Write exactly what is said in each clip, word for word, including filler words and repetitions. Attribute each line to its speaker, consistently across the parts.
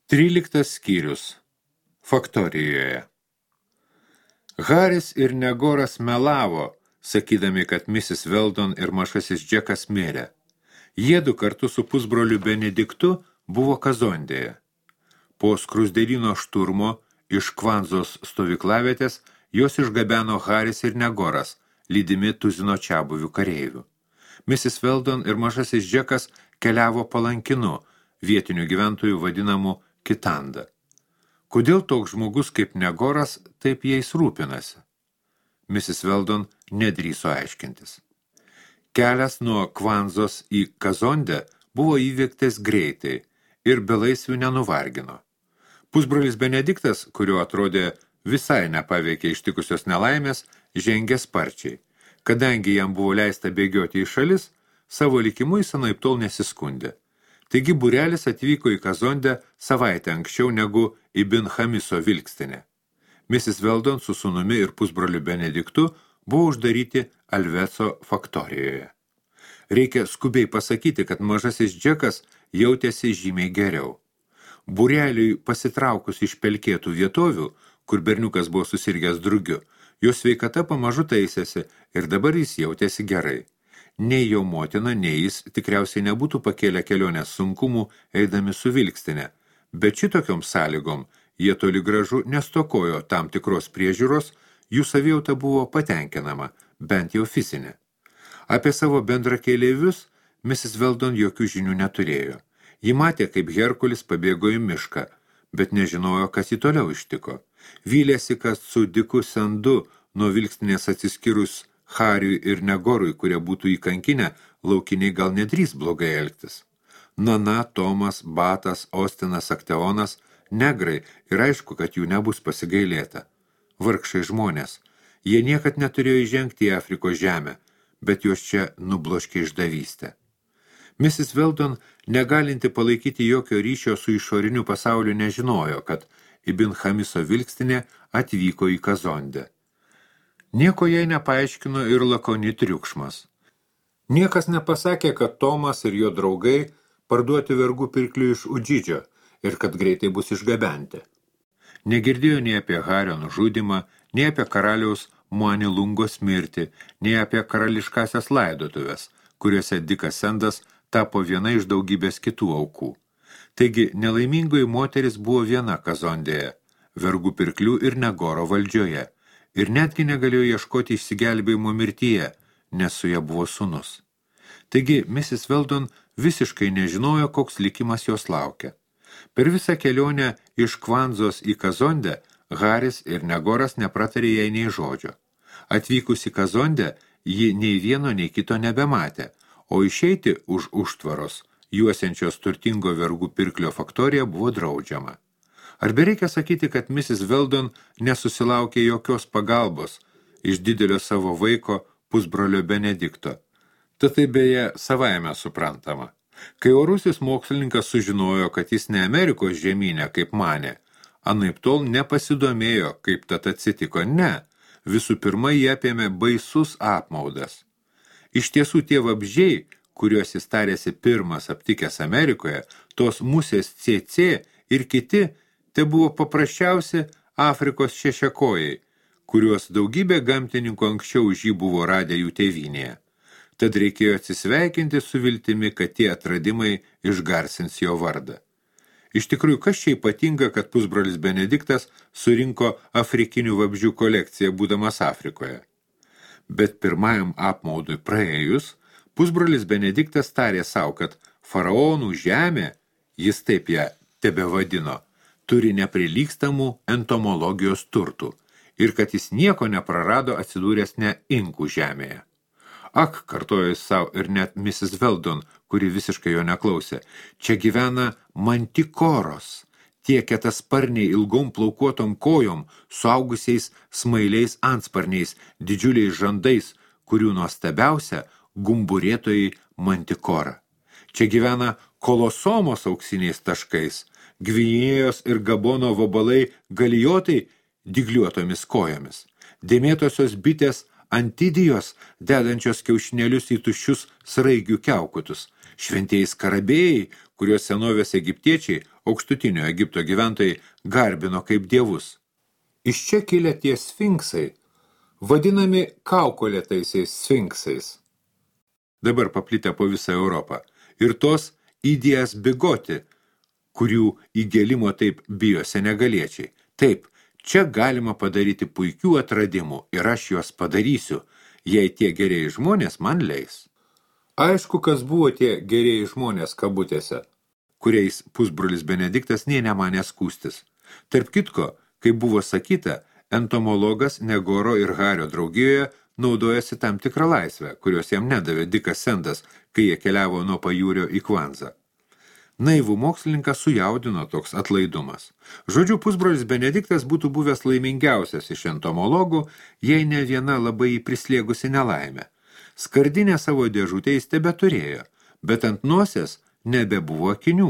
Speaker 1: Tryliktas skyrius. Faktorijoje. Haris ir Negoras melavo, sakydami, kad misis Weldon ir mažasis Džekas mirė. Jiedu kartu su pusbroliu Benediktu buvo Kazondėje. Po skrusdėlyno šturmo iš Kvanzos stovyklavietės jos išgabeno Haris ir Negoras, lydimi tuzino čiabuvių kareivių. misis Weldon ir mažasis Džekas keliavo palankinu, vietinių gyventojų vadinamų Kitanda. Kodėl toks žmogus kaip Negoras taip jais rūpinasi? misis Weldon nedrįso aiškintis. Kelias nuo Kvanzos į Kazondę buvo įveiktas greitai ir belaisvių nenuvargino. Pusbrolis Benediktas, kurio atrodė visai nepaveikė ištikusios nelaimės, žengė sparčiai. Kadangi jam buvo leista bėgioti į šalis, savo likimu jis anaiptol nesiskundė. Taigi būrelis atvyko į Kazondę savaitę anksčiau negu į Bin Chamiso vilkstinę. misis Weldon su sūnumi ir pusbroliu Benediktu buvo uždaryti Alveco faktorijoje. Reikia skubiai pasakyti, kad mažasis Džekas jautėsi žymiai geriau. Būreliui pasitraukus iš pelkėtų vietovių, kur berniukas buvo susirgęs drugiu, jo sveikata pamažu taisėsi ir dabar jis jautėsi gerai. Nei jo motina, nei jis tikriausiai nebūtų pakėlę kelionės sunkumų eidami su vilkstinė, bet šitokiom sąlygom jie toli gražu nestokojo tam tikros priežiūros, jų savijauta buvo patenkinama, bent jau fizinė. Apie savo bendrakeleivius misis Weldon jokių žinių neturėjo. Ji matė, kaip Herkulis pabėgo į mišką, bet nežinojo, kas jį toliau ištiko. Vylėsi, kad su Diku Sandu nuo vilkstinės atsiskyrus Hariui ir Negorui, kurie būtų įkankinę, laukiniai gal nedrys blogai elgtis. Nana, Tomas, Batas, Ostinas, Akteonas, negrai ir aišku, kad jų nebus pasigailėta. Vargšai žmonės. Jie niekad neturėjo įžengti į Afrikos žemę, bet juos čia nubloškė išdavystę. misis Weldon, negalinti palaikyti jokio ryšio su išoriniu pasauliu, nežinojo, kad į Bin Chamiso vilkstinė atvyko į Kazondę. Nieko jai nepaaiškino ir lakoni triukšmas. Niekas nepasakė, kad Tomas ir jo draugai parduoti vergų pirklių iš Udžidžio ir kad greitai bus išgabenti. Negirdėjo nei apie Hario nužudymą, nei apie karaliaus Muanilungos mirtį, nei apie karališkasias laidotuves, kuriuose Dikas Sandas tapo viena iš daugybės kitų aukų. Taigi nelaimingoji moteris buvo viena Kazondėje, vergų pirklių ir Negoro valdžioje, ir netgi negalėjo ieškoti išsigelbėjimo mirtyje, nes su ja buvo sūnus. Taigi misis Weldon visiškai nežinojo, koks likimas jos laukia. Per visą kelionę iš Kvanzos į Kazondę Haris ir Negoras nepratarė jai nei žodžio. Atvykus į Kazondę, ji nei vieno, nei kito nebematė, o išeiti už užtvaros, juosiančios turtingo vergų pirklio faktoriją, buvo draudžiama. Ar bereikia sakyti, kad misis Weldon nesusilaukė jokios pagalbos iš didelio savo vaiko pusbrolio Benedikto? Tad tai beje savaime suprantama. Kai orusis mokslininkas sužinojo, kad jis ne Amerikos žemynė, kaip manė, anaiptol nepasidomėjo, kaip tad atsitiko, ne. Visų pirma, jie apėmė baisus apmaudas. Iš tiesų tie vabzdžiai, kuriuos jis tarėsi pirmas aptikęs Amerikoje, tos musės C C ir kiti, tai buvo paprasčiausi Afrikos šešiakojai, kuriuos daugybė gamtininkų anksčiau už jį buvo radę jų tėvynėje. Tad reikėjo atsisveikinti su viltimi, kad tie atradimai išgarsins jo vardą. Iš tikrųjų, kas čia ypatinga, kad pusbrolis Benediktas surinko afrikinių vabzdžių kolekciją, būdamas Afrikoje. Bet pirmajam apmaudui praėjus, pusbrolis Benediktas tarė savo, kad faraonų žemė, jis taip ją tebevadino, turi neprilygstamų entomologijos turtų ir kad jis nieko neprarado atsidūręs ne inkų žemėje. Ak, kartojo jis savo ir net misis Weldon, kuri visiškai jo neklausė, čia gyvena mantikoros, tie kietasparniai ilgom plaukuotom kojom, suaugusiais smailiais antsparniais, didžiuliais žandais, kurių nuostabiausia gumburėtojai mantikora. Čia gyvena kolosomos auksiniais taškais, Gvinėjos ir Gabono vabalai galijotai dygliuotomis kojomis, dėmėtosios bitės antidijos, dedančios kiaušinėlius į tuščius sraigių kiaukutus, šventieji skarabėjai, kuriuos senovės egiptiečiai, aukštutinio Egipto gyventojai, garbino kaip dievus. Iš čia kilę tie sfinksai, vadinami kaukolėtaisiais sfinksais. Dabar paplitę po visą Europą. Ir tos idėjas bigoti, kurių įgėlimo taip bijo senegaliečiai. Taip, čia galima padaryti puikių atradimų ir aš juos padarysiu, jei tie gerieji žmonės man leis. Aišku, kas buvo tie gerieji žmonės kabutėse, kuriais pusbrolis Benediktas nė nemanė skūstis. Tarp kitko, kaip buvo sakyta, entomologas Negoro ir Hario draugijoje naudojasi tam tikrą laisvę, kurios jam nedavė Dikas Sendas, kai jie keliavo nuo pajūrio į Kvanzą. Naivų mokslininką sujaudino toks atlaidumas. Žodžiu, pusbrolis Benediktas būtų buvęs laimingiausias iš entomologų, jei ne viena labai jį prislėgusi nelaimė. Skardinę savo dėžutę jis tebeturėjo, bet ant nosies nebebuvo akinių,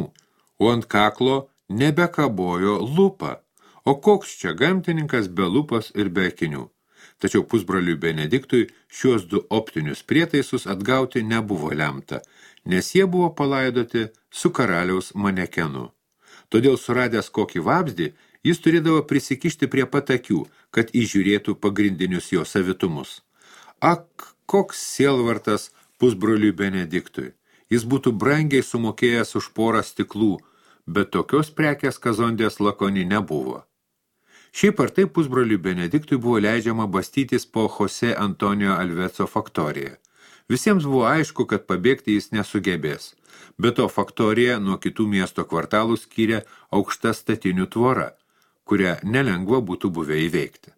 Speaker 1: o ant kaklo nebekabojo lupa. O koks čia gamtininkas be lupos ir be akinių? Tačiau pusbroliui Benediktui šiuos du optinius prietaisus atgauti nebuvo lemta, nes jie buvo palaidoti su karaliaus manekenu. Todėl suradęs kokį vabzdį, jis turėdavo prisikišti prie pat akių, kad įžiūrėtų pagrindinius jo savitumus. Ak, koks sielvartas pusbroliui Benediktui! Jis būtų brangiai sumokėjęs už porą stiklų, bet tokios prekės Kazondės lakoni nebuvo. Šiaip ar taip pusbroliui Benediktui buvo leidžiama bastytis po Jose Antonio Alveco faktoriją. Visiems buvo aišku, kad pabėgti jis nesugebės. Be to faktorija nuo kitų miesto kvartalų skyrė aukšta statinių tvora, kurią nelengva būtų buvę įveikti.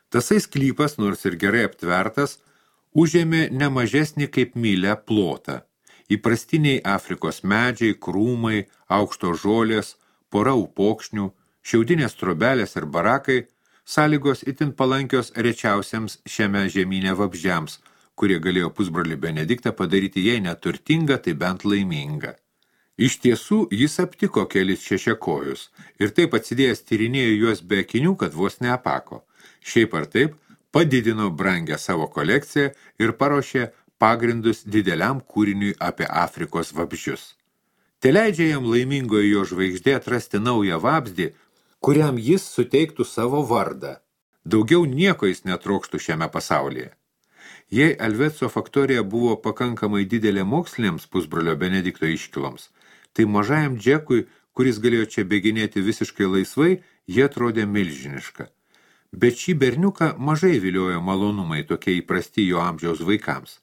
Speaker 1: Tasai sklypas, nors ir gerai aptvertas, užėmė nemažesnį kaip mylę plotą. Įprastiniai Afrikos medžiai, krūmai, aukšto žolės, pora upokšnių, šiaudinės trobelės ir barakai, sąlygos itin palankios rečiausiams šiame žemyne vabzdžiams, kurie galėjo pusbrolį Benediktą padaryti jei neturtingą, tai bent laimingą. Iš tiesų, jis aptiko kelis šešiakojus ir taip atsidėjęs tyrinėjo juos be akinių, kad vos neapako. Šiaip ar taip, padidino brangę savo kolekciją ir paruošė pagrindus dideliam kūriniui apie Afrikos vabzdžius. Te leidžia jam laimingoje jo žvaigždė atrasti naują vabzdį, kuriam jis suteiktų savo vardą. Daugiau nieko jis netrokštų šiame pasaulyje. Jei Alveco faktorija buvo pakankamai didelė moksliniams pusbrolio Benedikto iškiloms, tai mažajam Džekui, kuris galėjo čia bėginėti visiškai laisvai, jie atrodė milžiniška. Bet šį berniuką mažai viliojo malonumai tokie įprasti jo amžiaus vaikams.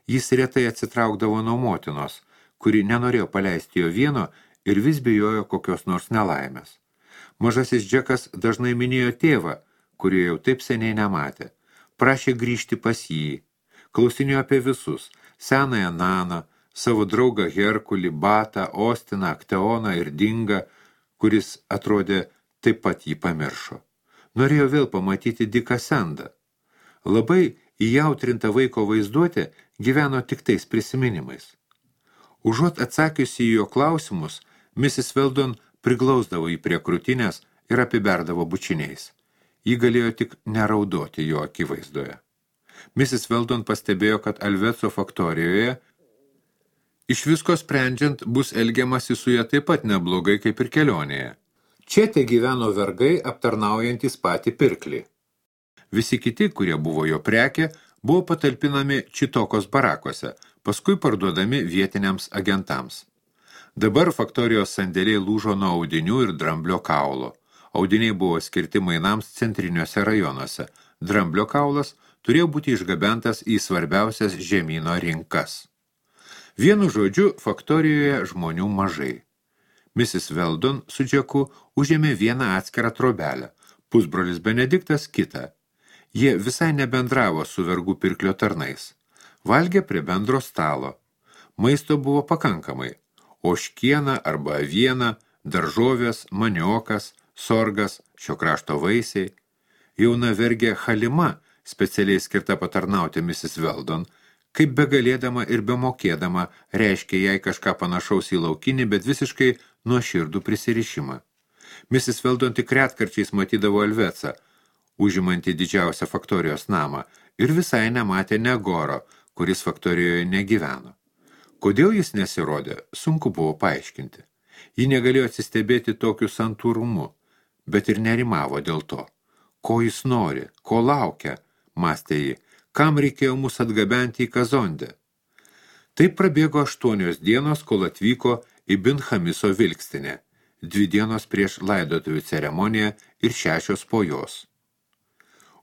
Speaker 1: Jis retai atsitraukdavo nuo motinos, kuri nenorėjo paleisti jo vieno ir vis bijojo kokios nors nelaimės. Mažasis Džekas dažnai minėjo tėvą, kurio jau taip seniai nematė. Prašė grįžti pas jį. Klausinėjo apie visus – senąją Naną, savo draugą Herkulį, Batą, Ostiną, Akteoną ir Dingą, kuris atrodė taip pat jį pamiršo. Norėjo vėl pamatyti Diką Sendą. Labai įjautrinta vaiko vaizduotė gyveno tik tais prisiminimais. Užuot atsakiusi į jo klausimus, misis Veldon priglausdavo jį prie krūtinės ir apiberdavo bučiniais. Ji galėjo tik neraudoti jo akivaizdoje. misis Veldon pastebėjo, kad Alveco faktorijoje iš visko sprendžiant bus elgiamasi su ja taip pat neblogai kaip ir kelionėje. Čia te gyveno vergai aptarnaujantys patį pirklį. Visi kiti, kurie buvo jo prekė, buvo patalpinami Čitokos barakuose, paskui parduodami vietiniams agentams. Dabar faktorijos sandėliai lūžo nuo audinių ir dramblio kaulo. Audiniai buvo skirti mainams centriniuose rajonuose. Dramblio kaulas turėjo būti išgabentas į svarbiausias žemyno rinkas. Vienu žodžiu, faktorijoje žmonių mažai. misis Veldon su Džeku užėmė vieną atskirą trobelę, pusbrolis Benediktas kitą. Jie visai nebendravo su vergų pirklio tarnais. Valgė prie bendro stalo. Maisto buvo pakankamai. Ožkiena arba aviena, daržovės, maniokas, sorgas, šio krašto vaisiai. Jauna vergė Halima, specialiai skirta patarnauti misis Veldon, kaip begalėdama ir bemokėdama, reiškia jai kažką panašaus į laukinį, bet visiškai nuoširdų prisirišimą. misis Veldon tik retkarčiais matydavo Alvecą, užimantį didžiausią faktorijos namą, ir visai nematė Negoro, kuris faktorijoje negyveno. Kodėl jis nesirodė, sunku buvo paaiškinti. Ji negalėjo atsistebėti tokiu santūrumu, bet ir nerimavo dėl to. Ko jis nori, ko laukia, mąstė ji, kam reikėjo mus atgabenti į Kazondę. Taip prabėgo aštuonios dienos, kol atvyko į Bin Chamiso vilkstinę, dvi dienos prieš laidotuvių ceremoniją ir šešios po jos.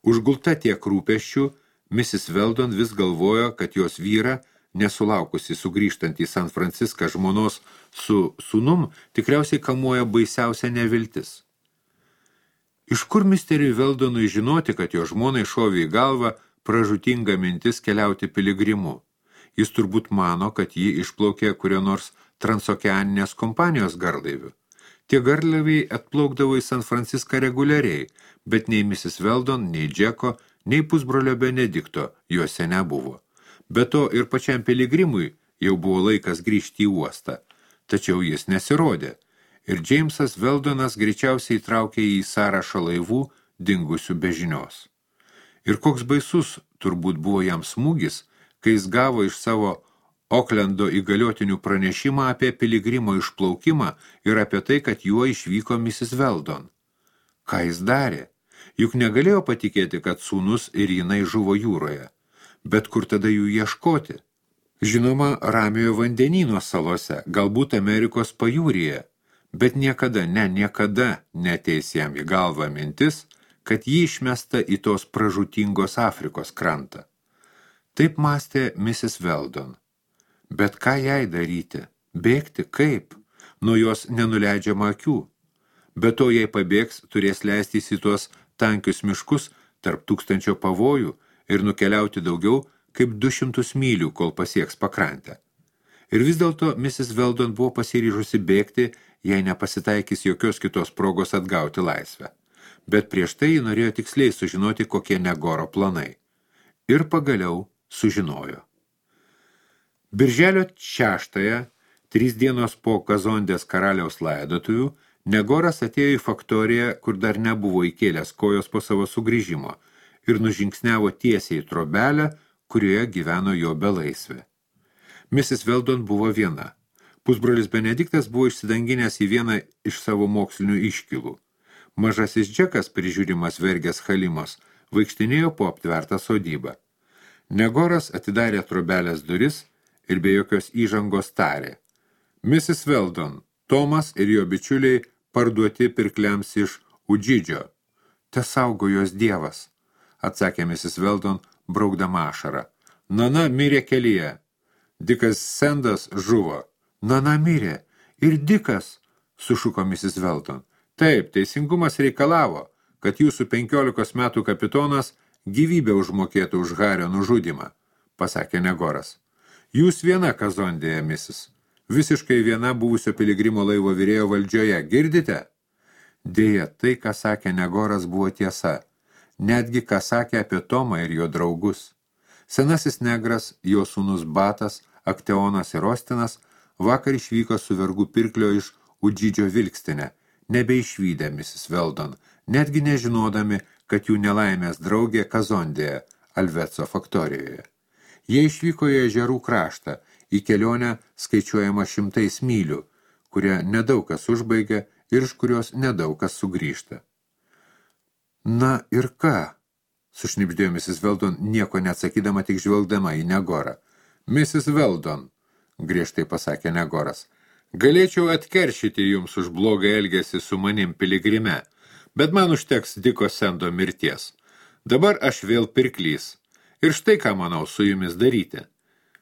Speaker 1: Užgulta tiek rūpesčių, misis Weldon vis galvojo, kad jos vyra, nesulaukusi sugrįžtant į San Franciską žmonos su sūnum, tikriausiai kamuoja baisiausia neviltis. Iš kur misteriui Weldonui žinoti, kad jo žmonai šovė į galvą pražūtinga mintis keliauti piligrimu? Jis turbūt mano, kad ji išplaukė kurio nors transokeaninės kompanijos garlaivių. Tie garlaiviai atplaukdavo į San Franciską reguliariai, bet nei misis Weldon, nei Džeko, nei pusbrolio Benedikto juose nebuvo. Be to ir pačiam piligrimui jau buvo laikas grįžti į uostą, tačiau jis nesirodė, ir Džeimsas Weldonas greičiausiai įtraukė į sąrašą laivų dingusių be žinios. Ir koks baisus turbūt buvo jam smūgis, kai jis gavo iš savo Oklendo įgaliotinių pranešimą apie piligrimo išplaukimą ir apie tai, kad juo išvyko misis Weldon. Ką jis darė? Juk negalėjo patikėti, kad sūnus ir jinai žuvo jūroje. Bet kur tada jų ieškoti? Žinoma, Ramiojo vandenyno salose, galbūt Amerikos pajūryje, bet niekada, ne, niekada neteis jam į galvą mintis, kad jį išmesta į tos pražūtingos Afrikos krantą. Taip mąstė misis Weldon. Bet ką jai daryti? Bėgti kaip? Nuo jos nenuleidžiama akių. Be to, jei pabėgs, turės leistis į tuos tankius miškus tarp tūkstančio pavojų ir nukeliauti daugiau kaip du šimtus mylių, kol pasieks pakrantę. Ir vis dėlto misis Weldon buvo pasiryžusi bėgti, jei nepasitaikys jokios kitos progos atgauti laisvę. Bet prieš tai ji norėjo tiksliai sužinoti, kokie Negoro planai. Ir pagaliau sužinojo. Birželio šeštąją, trys dienos po Kazondės karaliaus laidotuvių, Negoras atėjo į faktoriją, kur dar nebuvo įkėlęs kojos po savo sugrįžimo, ir nužingsniavo tiesiai į trobelę, kurioje gyveno jo belaisvė. misis Weldon buvo viena. Pusbrolis Benediktas buvo išsidanginęs į vieną iš savo mokslinių iškilų. Mažasis Džekas, prižiūrimas vergės Halimos, vaikštinėjo po aptvertą sodybą. Negoras atidarė trobelės duris ir be jokios įžangos tarė. misis Weldon, Tomas ir jo bičiuliai parduoti pirkliams iš Udžidžio. Te saugo jos dievas, atsakė misis Weldon, braukdama ašarą. Nana mirė kelyje. Dikas Sendas žuvo. Nana mirė. Ir Dikas, sušuko misis Weldon. Taip, teisingumas reikalavo, kad jūsų penkiolikos metų kapitonas gyvybę užmokėtų už Hario nužudymą, pasakė Negoras. Jūs viena Kazondėje, misis. Visiškai viena buvusio piligrimo laivo virėjo valdžioje. Girdite? Dėja, tai, ką sakė Negoras, buvo tiesa. Netgi, ką sakė apie Tomą ir jo draugus. Senasis negras, jo sūnus Batas, Akteonas ir Ostinas vakar išvyko su vergų pirklio iš Udžidžio vilkstinę, nebeišvydę misis Weldon, netgi nežinodami, kad jų nelaimės draugė Kazondėje, Alvetso faktorijoje. Jie išvyko į ežerų kraštą, į kelionę skaičiuojama šimtais mylių, kurią nedaug kas užbaigia ir iš kurios nedaug kas sugrįžta. Na ir ką? Sušnibždėjo misis Weldon, nieko neatsakydama, tik žvelgdama į Negorą. misis Weldon, griežtai pasakė Negoras, galėčiau atkeršyti jums už blogą elgesį su manim piligrime, bet man užteks Diko Sendo mirties. Dabar aš vėl pirklys. Ir štai ką manau su jumis daryti.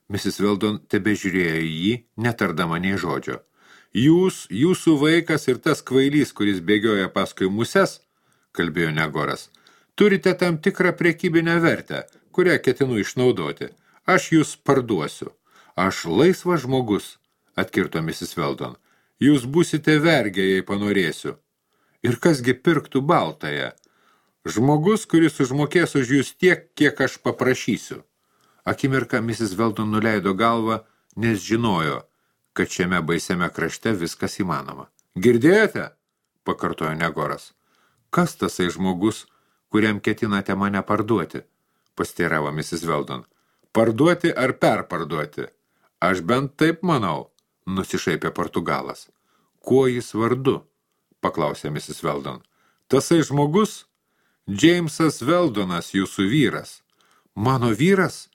Speaker 1: misis Weldon tebežiūrėjo į jį, netardama nei žodžio. Jūs, jūsų vaikas ir tas kvailys, kuris bėgioja paskui muses, kalbėjo Negoras, turite tam tikrą prekybinę vertę, kurią ketinu išnaudoti. Aš jūs parduosiu. Aš laisvas žmogus, atkirto misis Weldon. Jūs būsite vergė, jei panorėsiu. Ir kasgi pirktų baltąją? Žmogus, kuris užmokės už jūs tiek, kiek aš paprašysiu. Akimirką misis Weldon nuleido galvą, nes žinojo, kad šiame baisiame krašte viskas įmanoma. Girdėjote? Pakartojo Negoras. Kas tasai žmogus, kuriam ketinate mane parduoti? Pasteiravo misis Weldon. Parduoti ar perparduoti? Aš bent taip manau, nusišaipė Portugalas. Kuo jis vardu? Paklausė misis Weldon. Tasai žmogus? Džeimsas Weldonas, jūsų vyras. Mano vyras?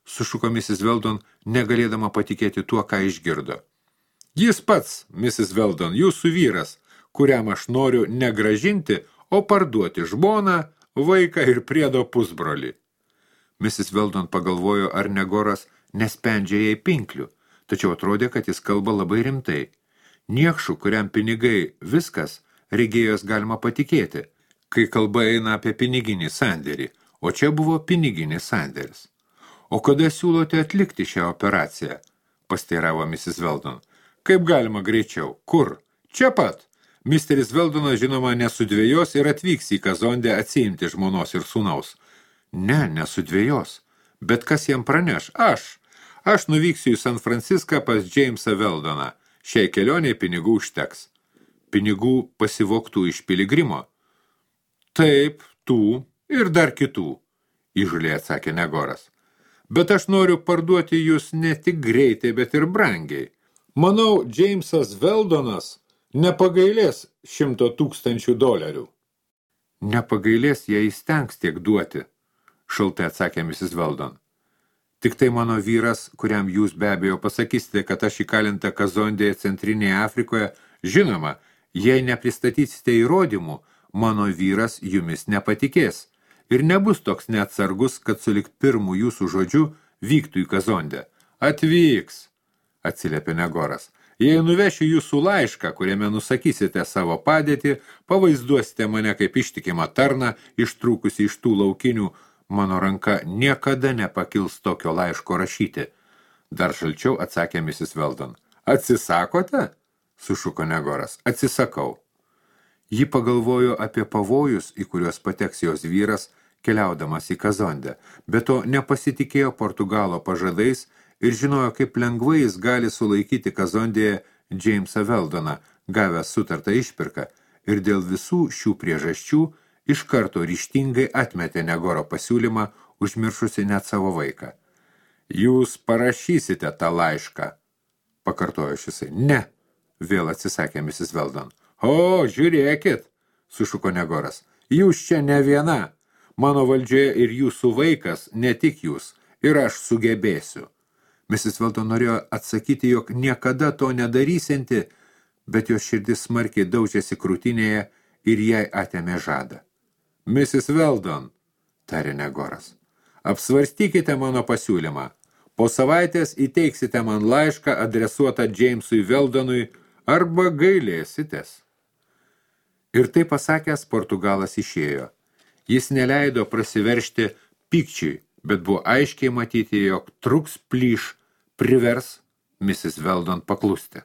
Speaker 1: Sušuko misis Weldon, negalėdama patikėti tuo, ką išgirdo. Jis pats, misis Weldon, jūsų vyras, kuriam aš noriu negražinti, o parduoti žmoną, vaiką ir priedo pusbrolį. misis Weldon pagalvojo, ar Negoras nespendžia jai pinklių, tačiau atrodė, kad jis kalba labai rimtai. Niekšų, kuriam pinigai viskas, regėjos galima patikėti, kai kalba eina apie piniginį sandėrį, o čia buvo piniginis sandėris. O kada siūlote atlikti šią operaciją? Pasteiravo misis Weldon. Kaip galima greičiau? Kur? Čia pat. Misteris Weldonas, žinoma, nesudvėjos ir atvyks į Kazondę atsiimti žmonos ir sūnaus. Ne, nesudvėjos. Bet kas jam praneš? Aš. Aš nuvyksiu į San Franciską pas Jamesą Weldoną. Šiai kelioniai pinigų užteks. Pinigų pasivoktų iš piligrimo? Taip, tų ir dar kitų, įžuliai atsakė Negoras. Bet aš noriu parduoti jūs ne tik greitai, bet ir brangiai. Manau, Jamesas Weldonas nepagailės šimto tūkstančių dolerių. Nepagailės, jei įstengs tiek duoti, šaltai atsakė misis Weldon. Tik tai mano vyras, kuriam jūs be abejo pasakysite, kad aš įkalinta Kazondėje Centrinėje Afrikoje, žinoma, jei nepristatysite įrodymų, mano vyras jumis nepatikės ir nebus toks neatsargus, kad sulik pirmų jūsų žodžių vyktų į Kazondę. Atvyks, atsiliepė Negoras. Jei nuvešiu jūsų laišką, kuriame nusakysite savo padėtį, pavaizduosite mane kaip ištikimą tarną, ištrūkusi iš tų laukinių, mano ranka niekada nepakils tokio laiško rašyti. Dar šalčiau atsakė misis Weldon. Atsisakote? Sušuko Negoras. Atsisakau. Ji pagalvojo apie pavojus, į kuriuos pateks jos vyras, keliaudamas į Kazondę, bet to nepasitikėjo Portugalo pažadais ir žinojo, kaip lengvai jis gali sulaikyti Kazondėje Jamesą Weldoną, gavęs sutartą išpirką, ir dėl visų šių priežasčių iš karto ryžtingai atmetė Negoro pasiūlymą, užmiršusi net savo vaiką. Jūs parašysite tą laišką, pakartojo šisai. Ne, vėl atsisakė misis Weldon. O, žiūrėkit, sušuko Negoras, jūs čia ne viena. Mano valdžioje ir jūsų vaikas, ne tik jūs, ir aš sugebėsiu. misis Weldon norėjo atsakyti, jog niekada to nedarysianti, bet jos širdis smarkiai daužėsi krūtinėje ir jai atėmė žadą. misis Weldon, tarė Negoras, apsvarstykite mano pasiūlymą. Po savaitės įteiksite man laišką adresuotą Jamesui Weldonui arba gailėsitės. Ir tai pasakęs, Portugalas išėjo. Jis neleido prasiveršti pykčiui, bet buvo aiškiai matyti, jog truks plyš privers misis Weldon paklusti.